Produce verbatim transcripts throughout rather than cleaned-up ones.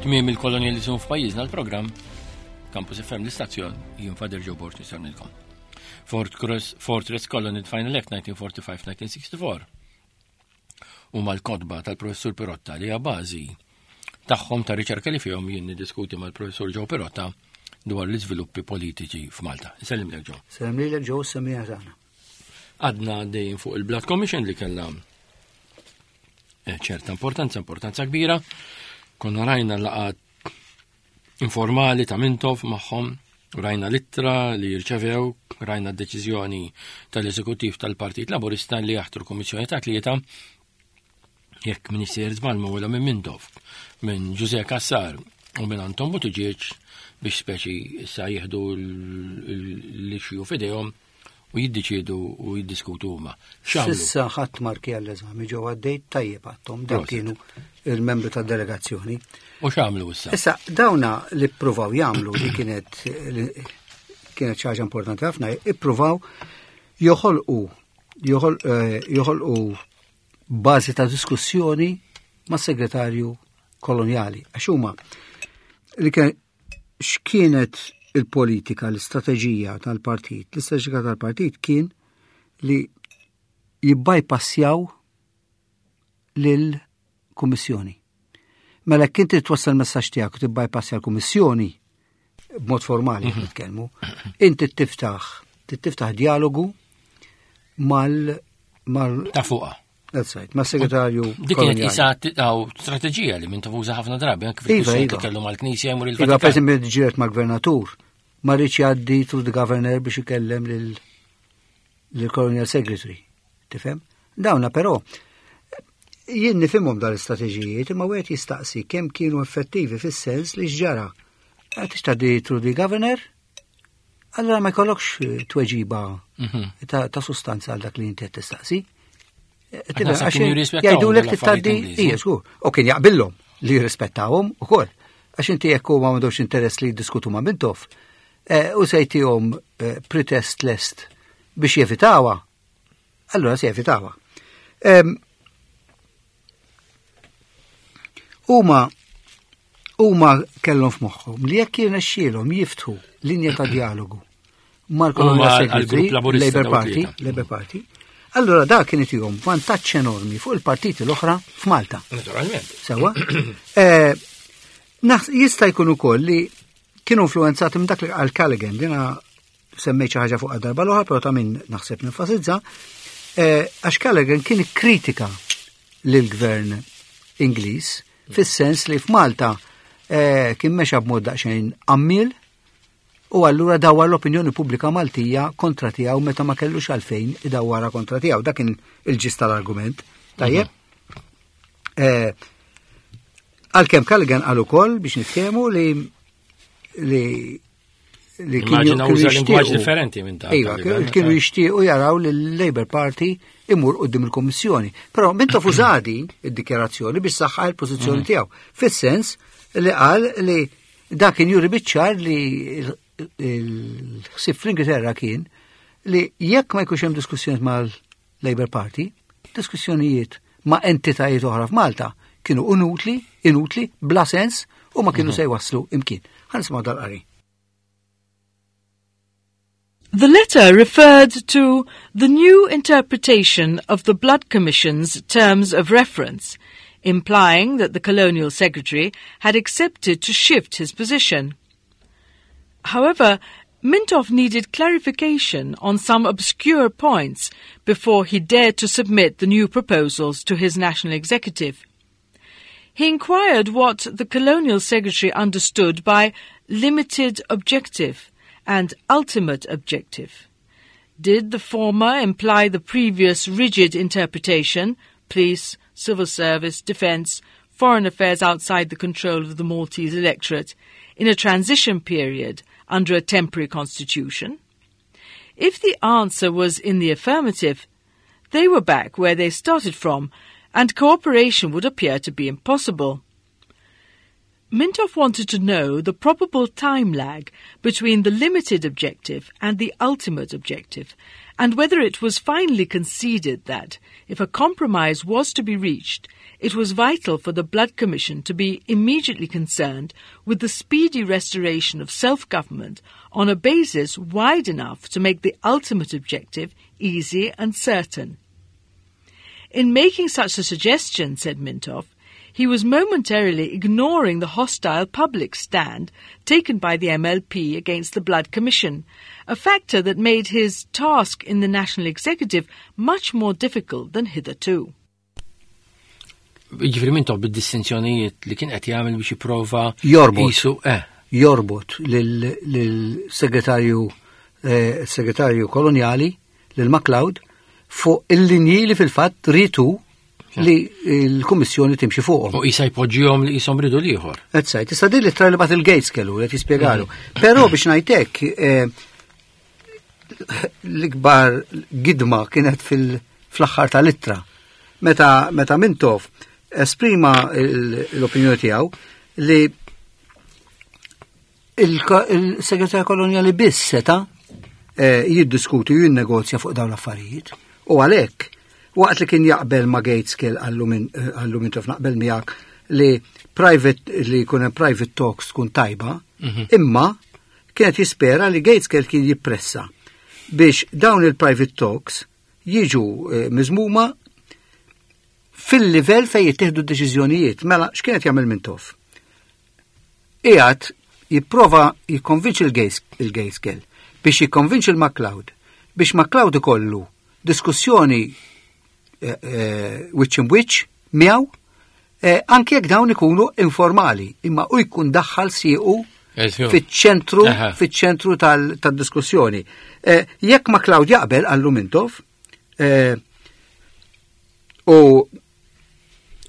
Tmiem il-kolonjalizmu f'pajjiżna l-programm Campus F M l-istazzjon, jien Father Joe Borg nisarnilkom. Fortress, Fortress Colony Final Act nineteen forty-five nineteen sixty-four. U mal-kotba tal-professur Pirotta li hija bażi tagħhom ta' riċerka li fihom jien niddiskuti mal-professur Joe Pirotta dwar l-iżviluppi politiċi f'Malta. Sellim lek, Joe. Sellem lilek, Joe, semmiha tagħna. Għadna dejjem fuq il-Blood Commission li kellha eh, ċerta importanza, importanza kbira. Konna rajna laqgħat informali ta' Mintoff magħhom, rajna l-ittra li jirċevew, rajna d-deċiżjoni tal-eżekutiv tal-Partit Laburista li jaħtru kommissjoni ta' tlieta, jekk m'iniex sejjer żball, wara minn Mintoff, minn Ġużè Cassar u minn Anton Buttigieg, biex speċi issa jieħdu l-issue f'idejhom u jiddeċiedu u jiddiskutu huma. X'għamlu? S'issa ħadd marki għall-eżami ġew għaddej tajjeb għattom, dak Prosit. kienu il-membri tad-delegazzjoni. U x'għamlu issa? Issa, dawna li ppruvaw jagħmlu li kienet li kienet xi ħaġa importanti ħafna, ippruvaw joħolqu joħol- eh, joħolqu bażi ta' diskussjoni ma' segretarju kolonjali. Għax huma li kien x'kienet il-politika, l-istrateġija tal-partit? L-istrateġija tal-partit kien li jibbypassjaw lill-Kummissjoni. Mela kien trid twassal messaġġ tiegħek u tibbypassja l-Kummissjoni b'mod formali qed nitkellmu, inti tiftaħ tiftaħ dialogu mal mal Ta' fuqa. That's right, mas-segretarju Dik kienet kolonjali. isa għaw strateġija li minn uża ħafna drabi, anke Iva, fil-kwistjoni iva. li kellu mal-Knisja jmur Iva, il-Vatikan. Per esempio, ġiret mal-gvernatur, ma rridx jgħaddi through the governor biex ikellem lil lil-colonial secretary. Tifhem? Dawna però jien nifhimhom dal-istrateġijiet, imma wieħed jistaqsi kemm kienu effettivi, fis-sens li x'ġara. Għad tgħaddi through the governor, allora ma jkollokx tweġiba Mhm. ta', ta' sustanza għal dak li inti qed tistaqsi. Għax naħseb kienu jirrispettawhom Jgħidulek dal-affarijiet tgħaddi, Ingliżi. ija, żgur. U kien jaqbillhom li jirrispettawhom ukoll. Għax inti jekk huma m'għandhomx interess li jiddiskutu ma' Mintoff, eh, u se jtihom eh, pretest lest biex jevitawha, allora se jevitawha. Em, Huma huma kellhom f'moħħhom li jekk jirnexxielhom jiftħu linja ta' dialogu mal-Colonial Huma Secretary, għall-grupp Laburista Labour dawk Party, tlieta. Labour Party, allora da kien itihom vantaġġ enormi fuq il-partiti l-oħra f'Malta. Naturalment. Sewa? Eh, naħs- Jista' jkun ukoll li kienu influenzati minn dak li qal Callaghan, dina semmejt xi ħaġa fuq darba l-oħra, però ta' min naħseb nenfasizza, eh, għax Callaghan kien kritika lill-gvern Ingliż fis-sens li f'Malta eh, kien mexa b'mod daqsxejn għammiel u allura dawar l-opinjoni pubblika Maltija kontra tiegħu meta ma kellux għalfejn idawwara kontra tiegħu. Dak kien il-ġist tal-argument. Tajjeb? Eh, Għalkemm Callaghan qal ukoll, biex niftehmu, li li li kienu Immaġina kienu uża lingwaġġ jixtiequ- differenti minn ta' Iva, Callaghan, kienu ta' jixtiequ jaraw li l-Labour Party imur quddiem il-Kommissjoni. Però Mintoff uża di id-dikjarazzjoni biex saħħa il-pożizzjoni tiegħu. Fis-sens li qal li dak kien juri biċ-ċar li il-ħsieb fl-Ingilterra kien li jekk ma jkunx hemm diskussjoni mal-Labour Party, diskussjonijiet ma' entitajiet oħra f'Malta kienu inutli, inutli, bla sens u ma kienu se jwasslu imkien. Ħa nisimgħu dal-qari. The letter referred to the new interpretation of the Blood Commission's terms of reference, implying that the Colonial Secretary had accepted to shift his position. However, Mintoff needed clarification on some obscure points before he dared to submit the new proposals to his national executive. He inquired what the Colonial Secretary understood by limited objective and ultimate objective. Did the former imply the previous rigid interpretation, police, civil service, defence, foreign affairs outside the control of the Maltese electorate, in a transition period under a temporary constitution? If the answer was in the affirmative, they were back where they started from, and cooperation would appear to be impossible. Mintoff wanted to know the probable time lag between the limited objective and the ultimate objective, and whether it was finally conceded that, if a compromise was to be reached, It was vital for the Blood Commission to be immediately concerned with the speedy restoration of self-government on a basis wide enough to make the ultimate objective easy and certain. In making such a suggestion, said Mintoff, he was momentarily ignoring the hostile public stand taken by the M L P against the Blood Commission, a factor that made his task in the National Executive much more difficult than hitherto. Ġifieri Mintoff bid-distinzjonijiet li kien qed jagħmel biex jipprova Jorbot. Jisu, eh, Jorbot lil-segretarju eh, segretarju koloniali, lil MacLeod, fuq il-linji li fil-fatt ritu li l-Kummissjoni timxi fuqhom. U jisa jpoġġihom li jisom ridu l-ieħor. Eżatt, issa din l-ittra li bagħat lil Gaitskell li jispjegalu. Però biex ngħidlek, eh, l-ikbar gidma kienet fil-aħħar tal-ittra. Meta meta Mintoff esprima l-opinjoni tiegħu li il-segretarju koloniali biss seta eh, jiddiskuti u jinnegozja fuq dawn l-affarijiet. U għalhekk, waqt li kien jaqbel ma' Gaitskell, qallu qallu Mintoff naqbel miegħek li private li jkun hemm private talks tkun tajba, imma kienet jispera li Gaitskell kien jippressa biex dawn il-private talks jiġu eh, miżmuma fil-livell fej jittieħdu d-deċiżjonijiet. Mela, x'kienet jagħmel Mintoff? Qiegħed jipprova jikkonvinċi il-Gaitskell biex jikkonvinċi il-MacLeod biex MacLeod ikollu diskussjoni eh, eh, wiċċ imwiċċ miegħu, eh, anke jekk dawn ikunu informali, imma u jkun daħħal siequ fiċ-ċentru Aha. fiċ-ċentru tal- tad-diskussjoni. Eh, Jekk MacLeod jaqbel, qallu Mintoff, eh, u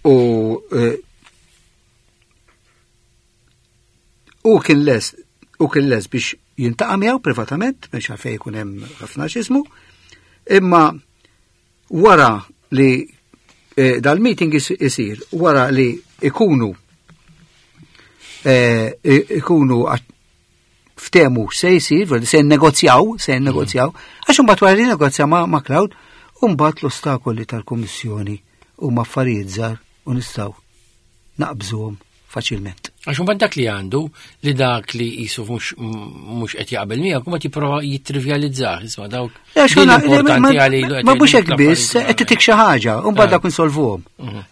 u eh, u kien les u kien les biex jiltaqa' miegħu privatament, biex għalfejn jkun hemm ħafna x'ismu, imma wara li eh, dal-meeting is- isir, wara li ikunu eh, ikunu għat- ftehmu se jsir, veri se negozjaw, se negozjaw, għax imbagħad wara li negozja ma' MacLeod, imbagħad l-ostakoli tal-Kummissjoni huma affarijiet żgħar u nistgħu naqbżuhom faċilment. Għax mbagħad dak li għandu li dak li jisu mhux mhux qed jaqbel miegħek u ma tipprova jittrivjalizzah, isma' dawk Għax din ma- importanti ma- għalilu qed Ma mhux jgħidu hekk biss, l-affarijiet qed titik xi ħaġa, u mbagħad Ah. dak insolvuhom.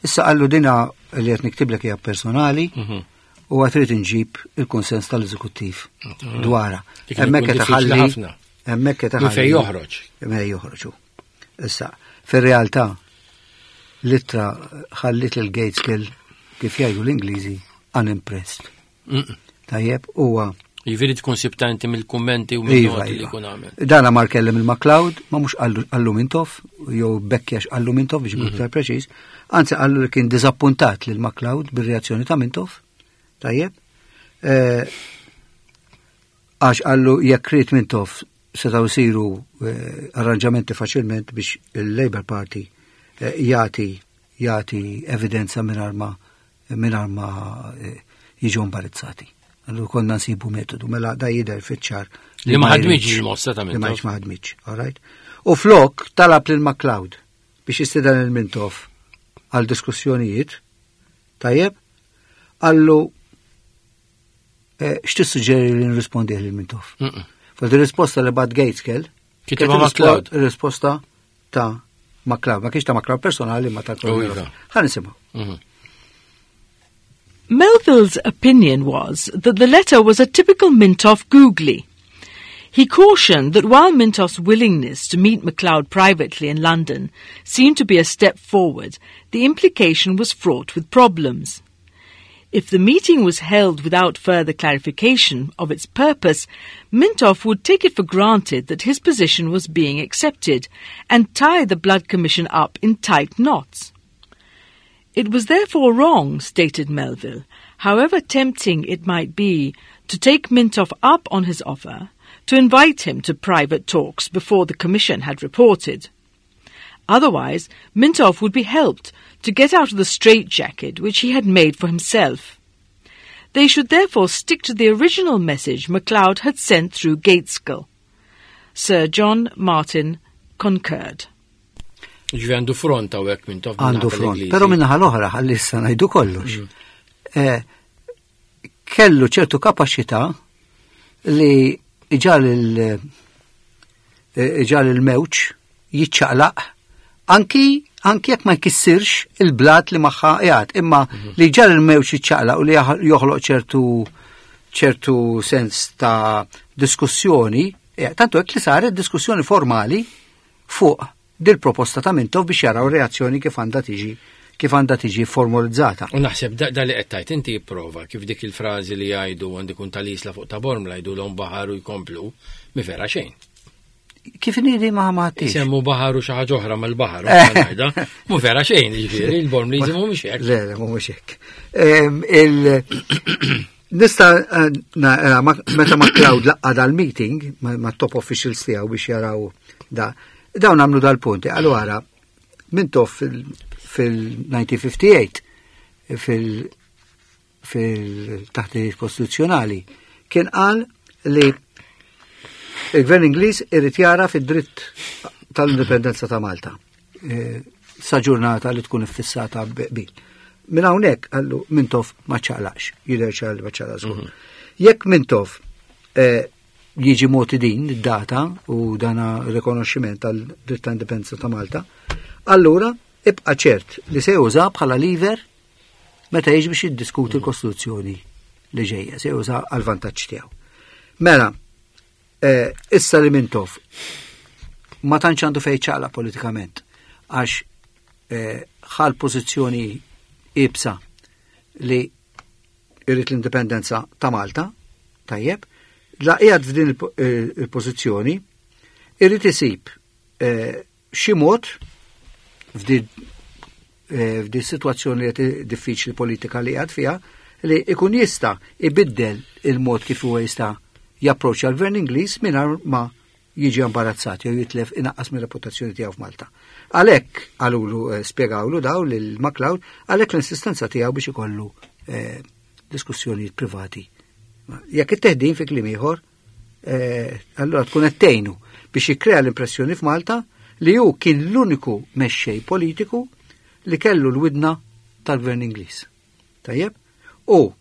Issa qallu dina li qed niktiblek hija personali Mhm. u għad trid inġib il-konsens tal-eżekuttiv dwarha. Dik Hemmhekk ikun qed diffiċli iħalli ħafna. Hemmhekk qed Minn iħalli. fejn joħroġ. Minn joħroġu. Issa, fir-realtà l-ittra ħallit lil Gaitskell, kif jgħidu l-Ingliżi, unimpressed. Mm. Tajjeb, huwa Jiġifieri tkun sibta inti mill-kummenti u Iva, mill-noti li iva. jkun għamel. Dana mar kellem il-MacLeod, ma mhux qallu Mintoff, jew bekkjax qallu Mintoff biex ikun iktar preċiż, anzi qallu li kien diżappuntat lil MacLeod bir-reazzjoni ta' Mintoff. Tajjeb. Eh, Għax qallu jekk ried Mintoff setgħu jsiru eh, arranġamenti faċilment biex il-Labour Party eh, jagħti jagħti evidenza mingħajr ma mingħajr ma eh, jiġu imbarazzati. Allura konna nsibu metodu, mela da jidher fiċ-ċar Li ma ħadmitx jridx. il-mossa ta' Li ma Mintoff. ma ħadmitx, all right? U flok talab lil MacLeod biex jistieden il Mintoff għal diskussjonijiet, tajjeb, qallu eh, x'tissuġġeri li nirrispondih lil Mintoff? Mm-mm. Fil risposta li bagħat Gaitskell, Kitibha kienet MacLeod. risposta ta' MacLeod, ma kienx ta' MacLeod personali ma ta' Oh, iva. Ħa nisimgħu. Mhm. Melville's opinion was that the letter was a typical Mintoff googly. He cautioned that while Mintoff's willingness to meet MacLeod privately in London seemed to be a step forward, the implication was fraught with problems. If the meeting was held without further clarification of its purpose, Mintoff would take it for granted that his position was being accepted and tie the Blood Commission up in tight knots. It was therefore wrong, stated Melville, however tempting it might be to take Mintoff up on his offer, to invite him to private talks before the Commission had reported. Otherwise, Mintoff would be helped to get out of the straitjacket which he had made for himself. They should therefore stick to the original message MacLeod had sent through Gaitskell. Sir John Martin concurred. Ġifieri għandu front hawnhekk Mintoff. Għandu front, però minnaħa l-oħra ħalli issa ngħidu kollox. Eh, kellu ċertu kapaċità li iġagħal il iġagħal il-mewġ jiċċaqlaq anki anki jekk ma jkissirx il-blat li magħha qiegħed, imma li jġagħal il-mewġ jiċċaqlaq u li joħloq ċertu ċertu sens ta' diskussjoni, eh, tantu hekk li saret diskussjoni formali fuq dil-proposta ta' Mintoff biex jaraw reazzjoni kif għandha tiġi kif għandha tiġi formalizzata. U naħseb da, da li qed tgħid inti jipprova kif dik il-frażi li jgħidu għandi kun tal-isla fuq ta' Bormla jgħidu l baħar u jkomplu, mi vera xejn. Kif nidi ma ma tix? Isemmu baħar u xi ħaġa oħra mal-baħar, u ngħidha, mu vera xejn, jiġifieri il-Bormliżi mhumiex hekk. Le, le, mhumiex hekk. Em, il- Nista eh, na- eh, ma- meta MacLeod laqqa dal-meeting ma, ma top officials tiegħu biex jaraw da, dawn għamlu dal-punti. Allora, Mintoff fil-elf disa' mija u ħamsa u ħamsin fil fil-taħdiet kostituzzjonali kien qal li il-gvern Ingliż irid jara fid-dritt tal-indipendenza ta' Malta. E, sa ġurnata li tkun iffissata bil. Minn hawnhekk qallu Mintoff ma ċaqlax, jidher ċar li ma ċaqlax żgur. Jekk Mintoff eh, jiġi moti din id-data u dana rikonoxximent tal-dritt ta' indipendenza ta' Malta, allura ibqa' ċert li se juża bħala lever meta jiġi biex jiddiskuti l-Kostituzzjoni li ġejja, se juża għal vantaġġ tiegħu. Mela, eh, issa li Mintoff ma tantx għandu fejn ċaqla politikament għax eh, ħal pożizzjoni ibsa li irrid l-indipendenza ta' Malta, tajjeb, la qiegħed f'din il- eh, il-pożizzjoni irrid isib eh, xi mod f'din eh, f'din situazzjoni li qed diffiċli politika li qiegħed fiha li ikun jista' ibiddel il-mod kif huwa jista' japproċċja l-gvern Ingliż mingħajr ma jiġi imbarazzat jew jitlef inaqqas mir-reputazzjoni tiegħu f'Malta. Għalhekk qalulu eh, spjegawlu daw lil MacLeod għalhekk l-insistenza tiegħu biex ikollu eh, diskussjonijiet privati. Ma jekk it-teħdin fi kliem ieħor, eh, allura tkun qed tgħinu biex jikkrea l-impressjoni f'Malta li hu kien l-uniku mexxej politiku li kellu l-widna tal-gvern Ingliż. Tajjeb? U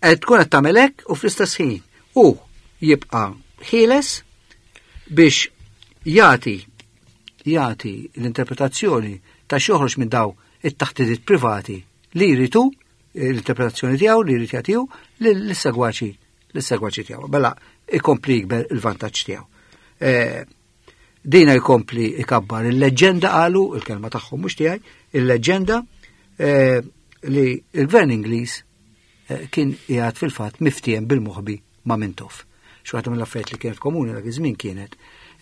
qed tkun qed tagħmel hekk u fl-istess ħin u jibqa' ħieles biex jagħti jagħti l-interpretazzjoni ta' x'joħroġ minn daw it-taħdidiet privati li jritu l-interpretazzjoni tiegħu li jrid jagħtihu lis-segwaċi lis-segwaċi tiegħu. Bella ikompli jikber il-vantaġġ tiegħu. Eh, Dina jkompli ikabbar il-leġenda qalu, il-kelma tagħhom mhux tiegħi, il-leġenda eh, li il-gvern Ingliż eh, kien qiegħed fil-fatt miftiem bil-moħbi ma' Mintoff. Xi waħda mill-affarijiet li kienet komuni dak iż-żmien kienet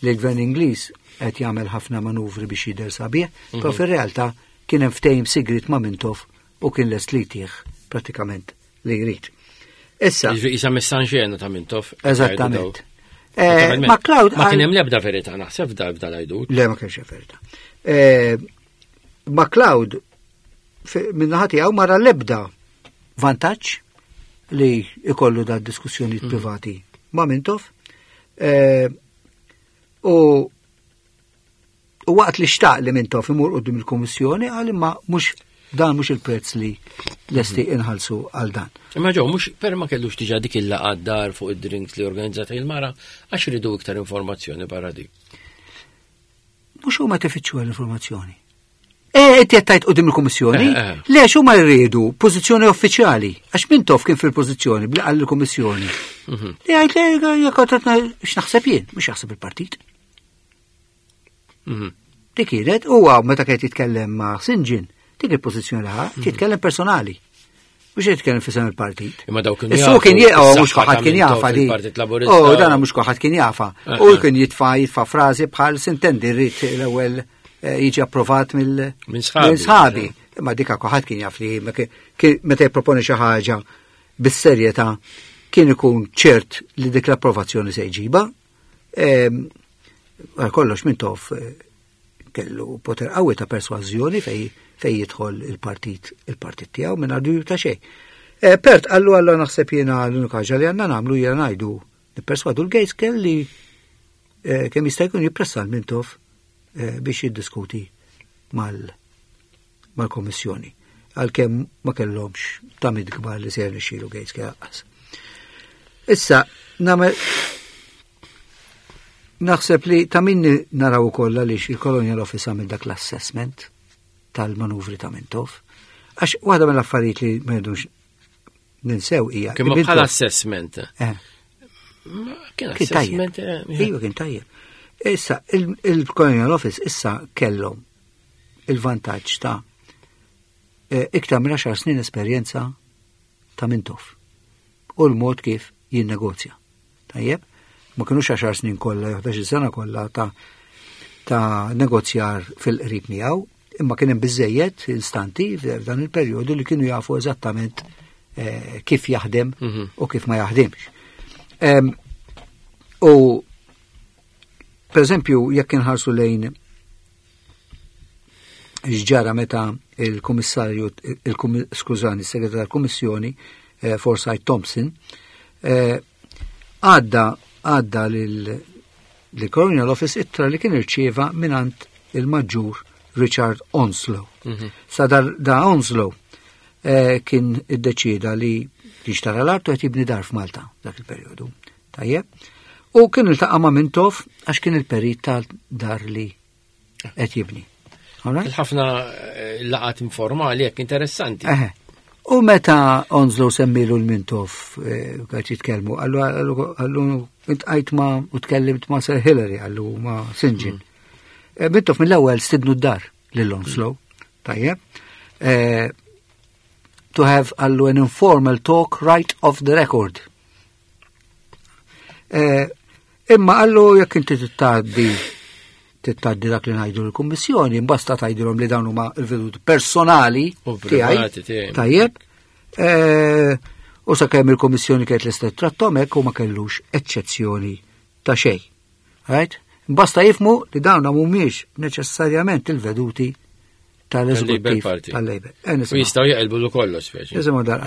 li l-gvern Ingliż qed jagħmel ħafna manuvri biex jidher sabiħ, però fir-realtà kien hemm ftehim sigrit ma' Mintoff u kien lest li jtih pratikament li jrid. Issa, Jiġifieri isa messa in scena ta' Mintoff. Eżattament. Eh, Naturalment. MacLeod Ma kien qal- hemm l-ebda verità naħseb f'da f'da l-għajdut. Le, ma kienx hemm verità. Eh, MacLeod min-naħa tiegħu ma ra l-ebda vantaġġ li ikollu da diskussjonijiet privati ma' Mintoff. Eh, U u waqt li xtaq li Mintoff imur quddiem il-Kummissjoni qal imma mhux dan mhux il-prezz li lesti inħallsu għal dan. Imma ġew mhux per ma kellux diġà dik il-laqgħa dar fuq id-drinks li organizzata il-mara għax ridu iktar informazzjoni barra dik. Mhux huma tifittxu l-informazzjoni. E, inti qed tgħid quddiem il-Kummissjoni? Eh, eh. Le, huma jridu pożizzjoni uffiċjali. Għax Mintoff kien fil-pożizzjoni bli qal il-Kummissjoni. Li għajt le, jekk qed x'naħseb jien, mhux jaħseb il-partit. Mhm. Dik kienet huwa meta kien jitkellem ma' Saint John, dik il-pożizzjoni li ħa, jitkellem personali. Mhux jitkellem f'isem il-partit. Imma dawk kienu Issu kien jafu jieqgħu mhux is-saħħa kulħadd ta' kien Mintoff jafa di. fil-Partit Laburista. Oh, dana mhux kulħadd kien jafa. Eh, U eh. kien jitfa' jitfa' frażi bħal sintendi rrid l-ewwel eh, jiġi approvat mill Minn sħabi. Minn sħabi. Imma dika kulħadd kien jaf li ma kien- kien- meta jipproponi xi ħaġa bis-serjetà kien ikun ċert li dik l-approvazzjoni se jġiba. Ehm, Għal kollox Mintoff eh, kellu poter qawwi ta' persważjoni fej fej jidħol il-partit il-partit tiegħu minn dubju ta' xejn. Eh, Pert qallu għallu naħseb jiena l-unika ħaġa li għandna nagħmlu jiena ngħidu nipperswadu l-Gaitskell li eh, kemm jista' jkun jippressa l-Mintoff eh, biex jiddiskuti mal-Kommissjoni, għalkemm ma kellhomx tamiet kbar li se jirnexxielu Gates lanqas. Issa, nagħmel naħseb li ta' min naraw ukoll għaliex il-Colonial Office għamel dak l-assessment tal-manuvri ta' Mintoff. Għax waħda mill-affarijiet li ma rridux ninsew hija. Kien bħala assessment. Eh. Kien assessment. Eh, iva, kien tajjeb. Issa, il-Colonial Office issa kellhom il-vantaġġ ta' eh, iktar minn għaxar snin esperjenza ta' Mintoff u l-mod kif jinnegozja. Tajjeb? Ma kienux għaxar snin kollha, jew ħdax-il sena kollha ta' ta' negozjar fil-qrib miegħu, imma kien hemm biżejjed instanti f'dan il-perjodu li kienu jafu eżattament eh, kif jaħdem Mhm. u kif ma jaħdimx. Em, U per eżempju, jekk inħarsu lejn x'ġara meta il-kummissarju, il skużani, il-segretarju tal-Kummissjoni, eh, Forsyth Thompson, eh, għadda għadda lil Colonial Office ittra li kien irċieva minant il-maġġur Richard Onslow. Mhm. Sa dar, da Onslow eh, kien iddeċida li jixtara l-art u qed jibni dar f'Malta dak il-perjodu. Tajjeb. U kien iltaqa' ma' Mintoff għax kien il-perit tal-dar li qed jibni. All right? Il-ħafna eh, laqat informali jekk interessanti. Eħe. U meta Onslow semmilu l-Mintoff eh, għax jitkellmu, qallu qallu qallu iltqajt ma' u tkellimt ma' Sir Hillary, qallu ma' St. John. Eh, Mintoff mill-ewwel stidnu d-dar lil Onslow. Tajjeb. Eh, to have qallu an informal talk right off the record. Eh, imma qallu jekk inti tittaddi tittaddi dak li ngħidu l-Kummissjoni, basta tgħidilhom li dawn huma l-veduti personali U tiegħi. privati tiegħi. Tajjeb. Eh, U sakemm il-Kummissjoni kienet lesta trattom hekk u ma kellux eċċezzjoni ta' xejn. Right? Basta jifhmu li dawn mhumiex neċessarjament il-veduti Tal-Labour tal-Eżekuttiv Party. tal-Labour. Eh, U nisimgħu. jistgħu jaqilbu lu kollox speċi. Nisimgħu dal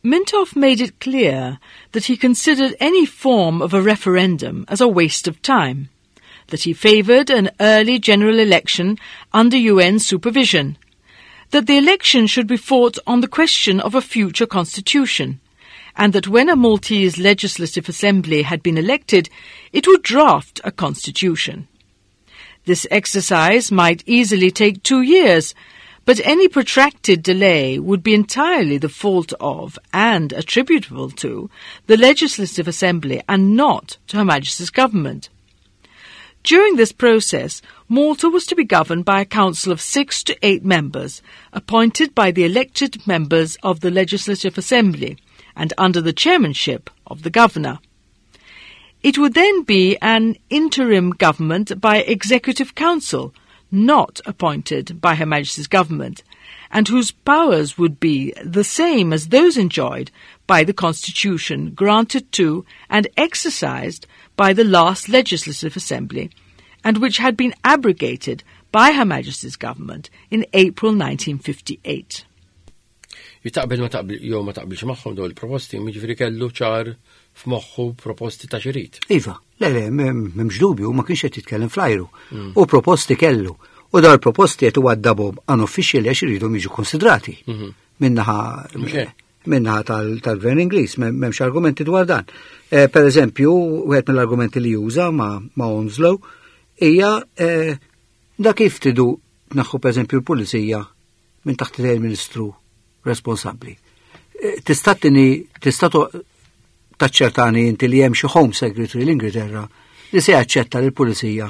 Mintoff made it clear that he considered any form of a referendum as a waste of time, that he favoured an early general election under U N supervision, that the election should be fought on the question of a future constitution, and that when a Maltese Legislative Assembly had been elected, it would draft a constitution. This exercise might easily take two years, but any protracted delay would be entirely the fault of, and attributable to, the Legislative Assembly and not to Her Majesty's government. During this process, Malta was to be governed by a council of six to eight members, appointed by the elected members of the Legislative Assembly and under the chairmanship of the governor. It would then be an interim government by executive council, not appointed by Her Majesty's government, and whose powers would be the same as those enjoyed by the Constitution granted to and exercised by the last Legislative Assembly, and which had been abrogated by Her Majesty's government in April nineteen fifty-eight. Jitaqbel ma taqbel jew ma taqbilx magħhom dawn il-proposti, jiġifieri kellu ċar f'moħħu proposti ta' x'irid. Iva, le, le, m'hemmx dubju, ma kienx qed jitkellem fl-ajru. U proposti kellu. U dawn il-proposti qed iwaddabhom unofficially għax iridhom jiġu konsidrati. Minnaħa Mhux hekk. minnaħa tal- tal-gvern Ingliż, m'hemmx argumenti dwar dan. Eh, per eżempju, wieħed mill-argumenti li juża ma, ma Onslow hija eh, da kif tridu tneħħu per eżempju l-pulizija minn taħt il-ministru responsabbli. Eh, Tista' tini tista' to- taċċertani inti li hemm xi Home Secretary l-Ingilterra li se jaċċetta li l-pulizija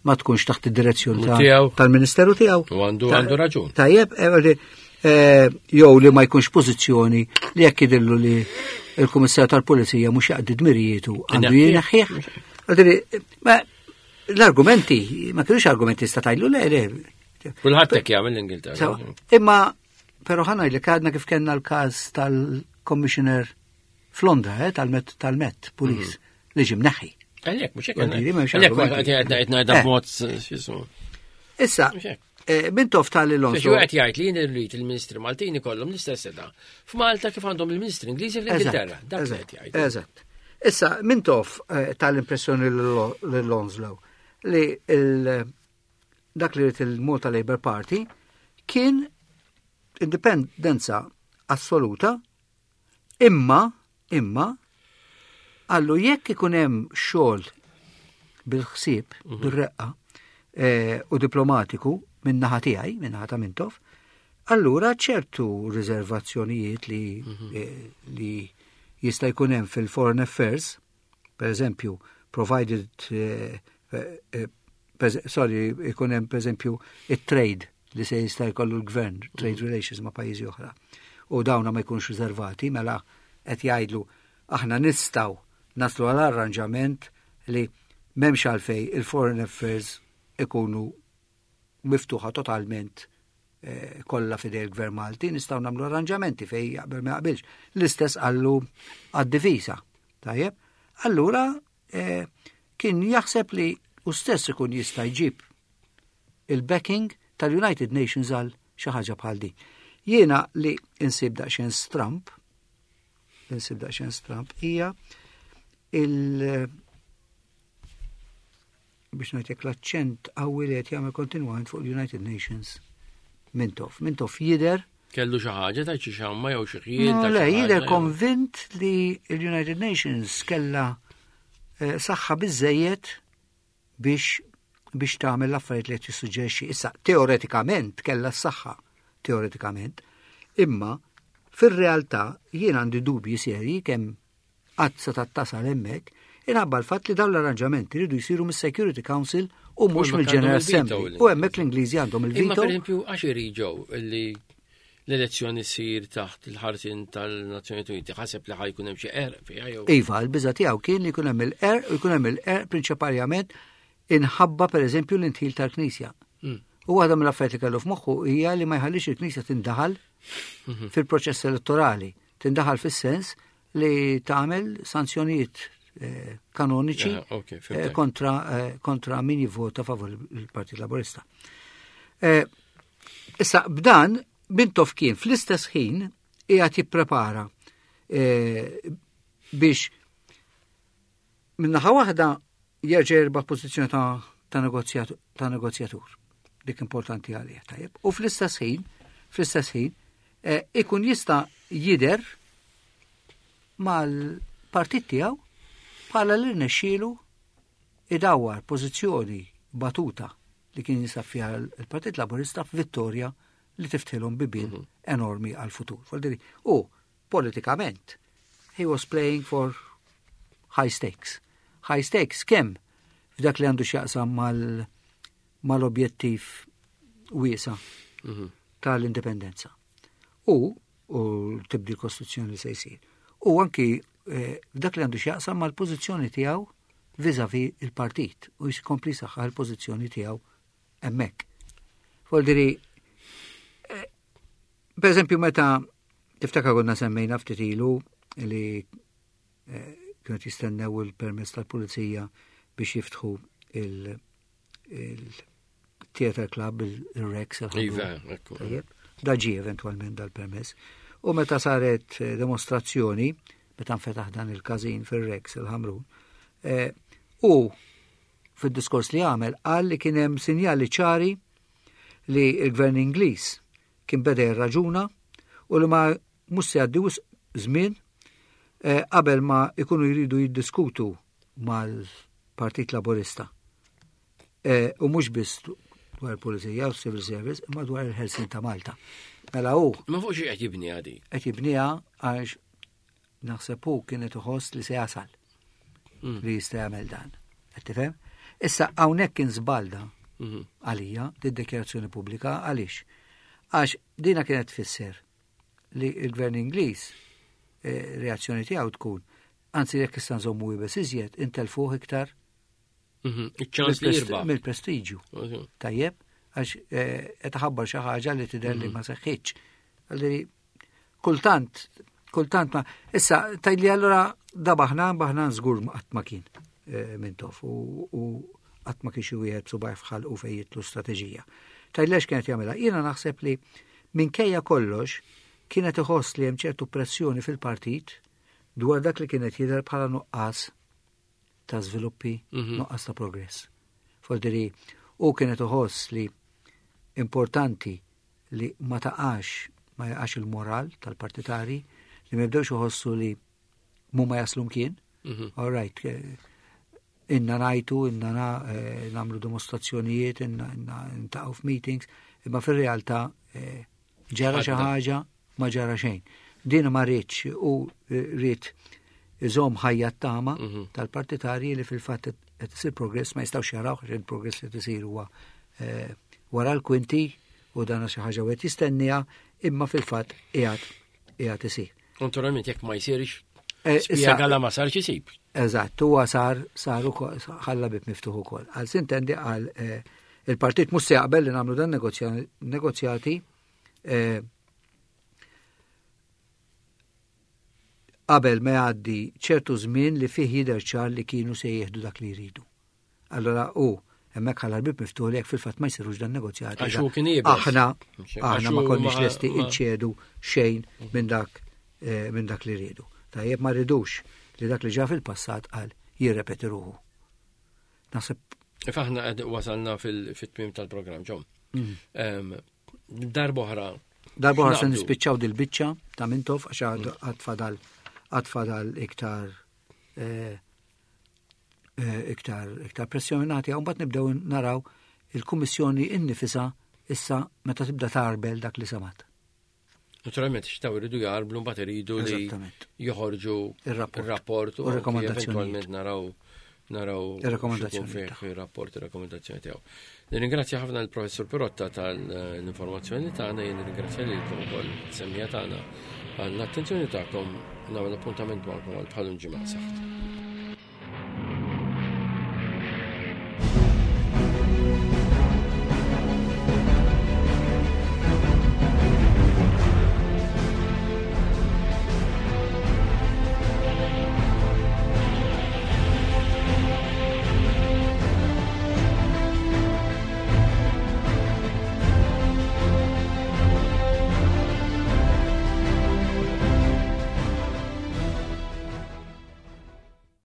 ma tkunx taħt id-direzzjoni ta- Tiegħu. tal-Ministeru tiegħu. U għandu Ta- għandu raġun. Tajjeb, eh, eh, jew li ma jkunx pożizzjoni li jekk jidhirlu li il-Kummissarju tal-Pulizija mhux jaqdi dmirijietu għandu Ineħħih. jineħħih. Għadri, ma l-argumenti, ma kienux argumenti sta tgħidlu le, le. Kulħadd hekk jagħmel l-Ingilterra. Sewa, imma, però ħa ngħidlek għadna kif kellna l-każ tal-Commissioner f'Londra, eh, tal-Met tal-Met Police, li ġie mneħħi. Għalhekk, mhux hekk. Għalli, m'hemmx Għalhekk argumenti. qed qed ngħidha Eh. b'mod x'ismu. Issa, Mhux hekk. eh, Mintoff Biex tal-Alonso. qed jgħid li jien irrid il-Ministri Maltin ikollhom l-istess setgħa. F'Malta kif għandhom il-Ministri Ingliżi fl-Ingilterra. Dak li qed jgħid. Eżatt. Issa, Mintoff eh, tal-impressjoni l-Onslow. li il, dak li ried il-Malta Labour Party kien indipendenza assoluta, imma, imma, għallu jekk ikun hemm xogħol bil-ħsieb, bir-reqqa eh, u diplomatiku minn naħa tiegħi, minn naħa ta' Mintoff, allura ċertu riservazzjonijiet li, eh, li jista' jkun hemm fil-foreign affairs, per eżempju, provided, eh, eh, per- sorry, ikun hemm per eżempju it-trade li se jista' jkollu l-gvern, trade relations ma' pajjiżi oħra. U dawna ma jkunux riservati, mela qed jgħidlu aħna nistgħu naslu għal arranġament li m'hemmx għalfej il-foreign affairs ikunu miftuħa totalment eh, kollha f'idej il-gvern Malti, nistgħu nagħmlu arranġamenti fej jaqbel ma jaqbilx. L-istess qallu għad-difiża. Tajjeb? Allura eh, kien jaħseb li u stess ikun jista' jġib il-backing tal-United Nations għal xi ħaġa bħal din. Jiena li insib daqsxejn stramp, insib daqsxejn stramp hija il- biex ngħidlek l-aċċent qawwi li qed jagħmel kontinwament fuq l-United Nations Mintoff. Mintoff jidher Kellu xi ħaġa ta' xi xamma jew xi ħjiel No, ta' le, xi jidher ħaġa, jew- konvint li l-United Nations kella eh, saħħa biżejjed biex biex tagħmel l-affarijiet li qed jissuġġerixxi. Issa teoretikament kellha s-saħħa, teoretikament, imma fir-realtà jien għandi dubji serji kemm qatt se tasal hemmhekk inħabba l-fatt li dawn l-arranġamenti jridu jsiru mis-Security Council u mhux hemmhekk mill-General għandhom il-veto Assembly. l- U hemmhekk l-Ingliżi għandhom Imma il-veto. per eżempju, għax iriġgħu li l-elezzjoni ssir taħt il-ħarsin tal-Nazzjonijiet Uniti, ħaseb li ħa jkun hemm xi qerq fiha jew. Iva, il-biża tiegħu kien li jkun hemm il-qerq u jkun hemm il-qerq prinċipalment inħabba per eżempju l-indħil tal-Knisja. Mm. U waħda mill-affarijiet li kellu f'moħħu hija li ma jħallix il-Knisja tindaħal fil-proċess elettorali, tindaħal fis-sens li tagħmel sanzjonijiet eh, kanoniċi Ah, ok, eh, fhimtek. kontra, eh, kontra min jivvota favur il-Partit Laburista. Eh, Issa, b'dan, Mintoff kien fl-istess ħin qiegħed jipprepara eh, biex minnaħa waħda jerġa' jirbaħ pożizzjoni ta' ta' negozjat- ta' negozjatur. Dik importanti għalih, tajjeb. U fl-istess ħin, fl-istess ħin, eh, ikun jista' jidher mal-partit tiegħu bħala li rnexxielu idawwar pożizzjoni batuta li kien jinsab fiha il-Partit Laburista f'Vittoria li tiftħilhom bibien enormi għal-futur. Vuoldiri, U politikament, he was playing for high stakes. High stakes kemm f'dak li għandu x'jaqsam mal mal-objettiv wiesa tal-indipendenza. U u tibdil kostituzzjoni li se jsir. U anki eh, f'dak li għandu x'jaqsam mal-pożizzjoni tiegħu vis-à-vis il-partit u jkompli saħħa l-pożizzjoni tiegħu hemmhekk. Vuoldiri, eh, per eżempju meta tiftakar konna semmejna ftit ilu li eh, kienu jistennew il-permess tal-pulizija biex jiftħu il- il-theater club, il-Rex. Iva, ekku. Tajjeb, da ġie eventualment dal-permess. U meta saret eh, demonstrazzjoni, meta nfetaħ dan il-każin fil-Rex, il-Ħamrun, eh, u fil-diskors li għamel qal li kien hemm sinjali ċari li il-gvern Ingliż kien beda jirraġuna u li ma mhux se jgħaddi wisq żmien eh, qabel ma ikunu jridu jiddiskutu mal-Partit Laburista. Eh, u mhux biss dwar il-Pulizija u Civil Service, imma dwar il-ħelsien ta' Malta. Mela hu Ma fuq xi qed jibni għadi. qed jibniha għax naħseb hu kienet iħoss li se jasal li jista' jagħmel dan. Qed tifhem? Issa hawnhekk kien żbalda Mhm. għalija di dikjarazzjoni pubblika għaliex? Għax dina kienet tfisser li il-gvern Ingliż eh, reazzjoni tiegħu tkun anzi jekk issa nżommu iebes iżjed intelfuh iktar Mhm. Iċ-ċans li jirbaħ. mill-prestiġju. Tajjeb, għax eh, qed ħabbar xi ħaġa li tidher li ma seħħitx. Għalli kultant, kultant ma issa tgħidli allura da baħnan baħnan żgur ma qatt ma kien eh, Mintoff u u qatt ma kien xi wieħed subgħajh f'ħalqu fejn jidħlu strateġija. Tgħidli għax kienet jagħmilha. Jiena naħseb li minkejja kollox kienet iħoss li hemm ċertu pressjoni fil-partit dwar dak li kienet jidher bħala nuqqas ta' żviluppi, Mhm. nuqqas ta' progress. Fordiri u kienet uħoss li importanti li ma taqax, ma jaqax il-moral tal-partitari, li ma jibdewx uħossu li mu ma jaslu mkien. Mhm. All right, eh, inna najtu, inna na, eh, namlu dimostrazzjonijiet, inna, inna ntaqgħu f'meetings, imma fir-realtà eh, ġara xi Għadda. ħaġa ma ġara xejn. Din ma rridx u eh, rrid iżomm ħajja t-tama Mhm. tal-partitarji li fil-fatt qed isir progress ma jistgħux jaraw għax il-progress li tisir huwa eh, wara l-kwinti u dan xi ħaġa wieħed jistennija imma fil-fatt qiegħed qiegħed isir. Naturalment jekk ma jsirx, Eh, issa- spjega la ma sarx isib. Eżatt, huwa sar sar ukoll ħalla bib miftuħ ukoll. Għal sintendi għal eh, il-partit mhux se jaqbel li nagħmlu dan negozja- negozjati eh, qabel ma jgħaddi ċertu żmien li fih jidher ċar li kienu se jieħdu dak li jridu. Allora u hemmhekk ħalla l-bib miftuħ li jekk fil-fatt ma jsirux dan negozjati. Għax hu kien iebes. Aħna Għax aħna hu ma konniex ma- lesti ma- inċedu xejn minn dak eh, minn dak li rridu. Tajjeb ma rridux li dak li ġa fil-passat qal jirrepeti ruħu. Naħseb If aħna qed wasalna fil-tmim tal-programm, ġom. Mm. Darboħra. Darba se X'naqbdu? nispiċċaw dil-biċċa ta' Mintoff għax għad għad fadal għad fadal iktar eh, eh, iktar iktar pressjonati u mbagħad nibdew naraw il-Kummissjoni innifisha issa meta tibda tarbel dak li semat. Naturalment, xtaw iridu jarblu, mbagħad iridu li Eżattament. joħorġu Ir-rapport. ir-rapport U u anki rakkomandazzjonijiet. Eventualment naraw naraw Ir-rakkomandazzjoni x'ikun fih tagħhom. ir-rapport ir-rakkomandazzjoni tiegħu. Nirringrazzja ħafna l-Professur Pirotta tal-informazzjoni tagħna, jien nirringrazzja lilkom ukoll semmija tagħna għall-attenzjoni tagħkom nagħmel appuntament magħkom għal bħalun ġimgħa saħt.